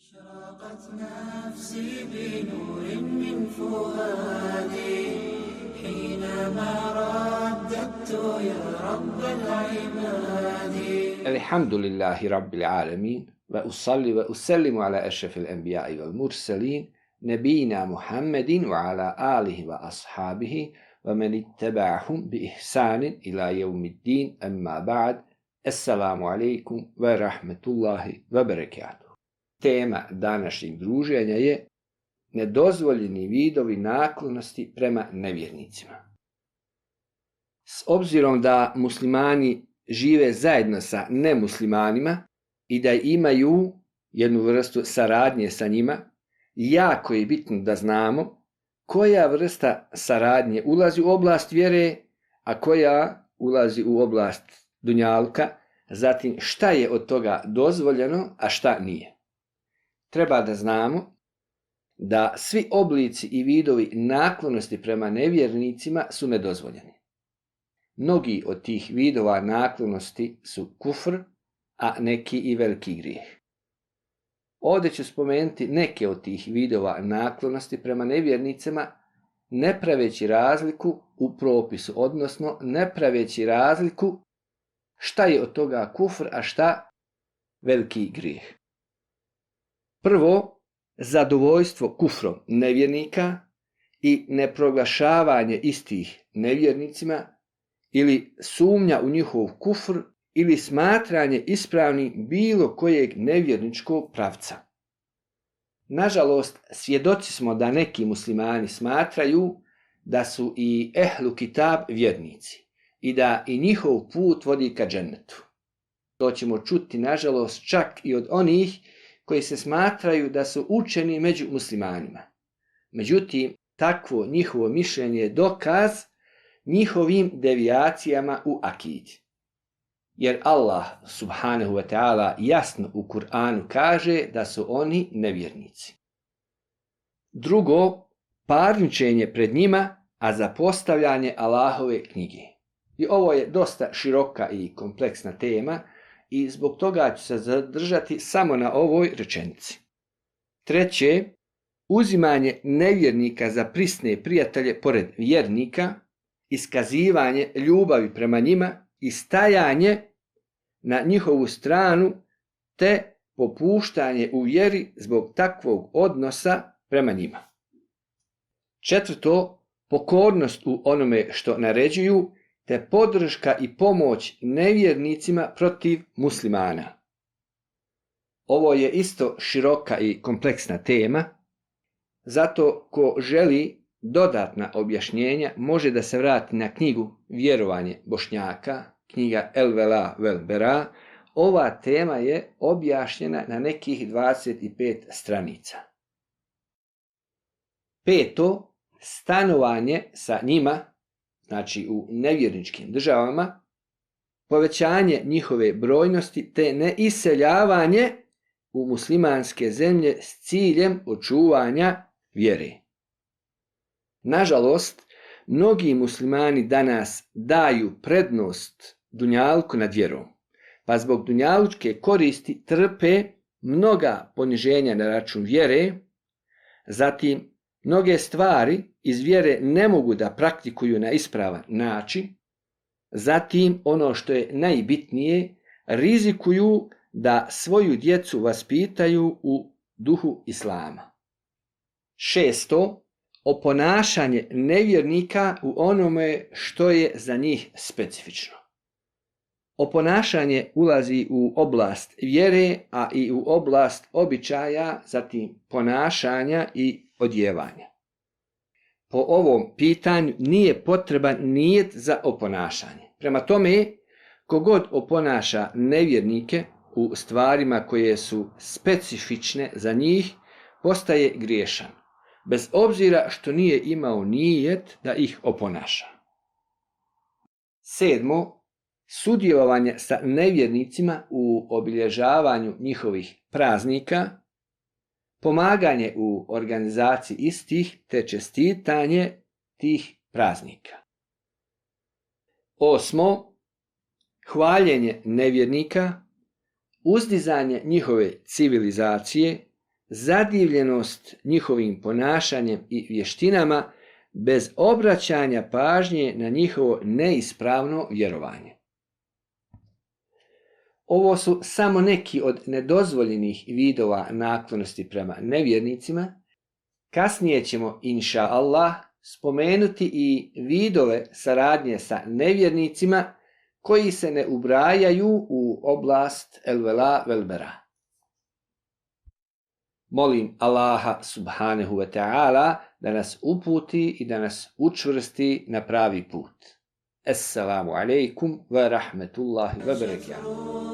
أشرقت نفسي بنور من فؤادي حينما رددت يا رب العباد الحمد لله رب العالمين وأصلي وأسلم على أشرف الأنبياء والمرسلين نبينا محمد وعلى آله وأصحابه ومن اتبعهم بإحسان إلى يوم الدين أما بعد السلام عليكم ورحمة الله وبركاته. Tema današnjeg druženja je nedozvoljeni vidovi naklonosti prema nevjernicima. S obzirom da muslimani žive zajedno sa nemuslimanima i da imaju jednu vrstu saradnje sa njima, jako je bitno da znamo koja vrsta saradnje ulazi u oblast vjere, a koja ulazi u oblast dunjaluka, zatim šta je od toga dozvoljeno, a šta nije. Treba da znamo da svi oblici i vidovi naklonosti prema nevjernicima su nedozvoljeni. Mnogi od tih vidova naklonosti su kufr, a neki i veliki grijeh. Ovdje ću spomenuti neke od tih vidova naklonosti prema nevjernicima, ne praveći razliku u propisu, odnosno ne praveći razliku šta je od toga kufr, a šta veliki grijeh. Prvo, zadovoljstvo kufrom nevjernika i neproglašavanje istih nevjernicima ili sumnja u njihov kufr ili smatranje ispravnim bilo kojeg nevjerničkog pravca. Nažalost, svjedoci smo da neki muslimani smatraju da su i ehlu kitab vjernici i da i njihov put vodi ka džennetu. To ćemo čuti, nažalost, čak i od onih koji se smatraju da su učeni među muslimanima. Međutim, takvo njihovo mišljenje je dokaz njihovim devijacijama u akidi. Jer Allah subhanahu wa ta'ala jasno u Kur'anu kaže da su oni nevjernici. Drugo, parničenje pred njima, a zapostavljanje Allahove knjige. I ovo je dosta široka i kompleksna tema i zbog toga ću se zadržati samo na ovoj rečenici. Treće, uzimanje nevjernika za prisne prijatelje pored vjernika, iskazivanje ljubavi prema njima i stajanje na njihovu stranu te popuštanje u vjeri zbog takvog odnosa prema njima. Četvrto, pokornost u onome što naređuju te podrška i pomoć nevjernicima protiv muslimana. Ovo je isto široka i kompleksna tema, zato ko želi dodatna objašnjenja može da se vrati na knjigu Vjerovanje Bošnjaka, knjiga El Vela Vel Bera. Ova tema je objašnjena na nekih 25 stranica. Peto, stanovanje sa njima, znači u nevjerničkim državama, povećanje njihove brojnosti te neiseljavanje u muslimanske zemlje s ciljem očuvanja vjere. Nažalost, mnogi muslimani danas daju prednost dunjalku nad vjerom, pa zbog dunjalučke koristi trpe mnoga poniženja na račun vjere, zatim mnoge stvari iz vjere ne mogu da praktikuju na ispravan način, zatim ono što je najbitnije, rizikuju da svoju djecu vaspitaju u duhu islama. Šesto, oponašanje nevjernika u onome što je za njih specifično. Oponašanje ulazi u oblast vjere, a i u oblast običaja, zatim ponašanja i odjevanja. Po ovom pitanju nije potreban nijet za oponašanje. Prema tome, kogod oponaša nevjernike u stvarima koje su specifične za njih, postaje griješan, bez obzira što nije imao nijet da ih oponaša. Sedmo, sudjelovanje sa nevjernicima u obilježavanju njihovih praznika, pomaganje u organizaciji istih te čestitanje tih praznika. Osmo, hvaljenje nevjernika, uzdizanje njihove civilizacije, zadivljenost njihovim ponašanjem i vještinama bez obraćanja pažnje na njihovo neispravno vjerovanje. Ovo su samo neki od nedozvoljenih vidova naklonosti prema nevjernicima. Kasnije ćemo, inša Allah, spomenuti i vidove saradnje sa nevjernicima koji se ne ubrajaju u oblast el-vela vel-bera. Molim Allaha subhanahu wa ta'ala da nas uputi i da nas učvrsti na pravi put. Assalamu alaikum wa rahmetullahi wa barakatuh.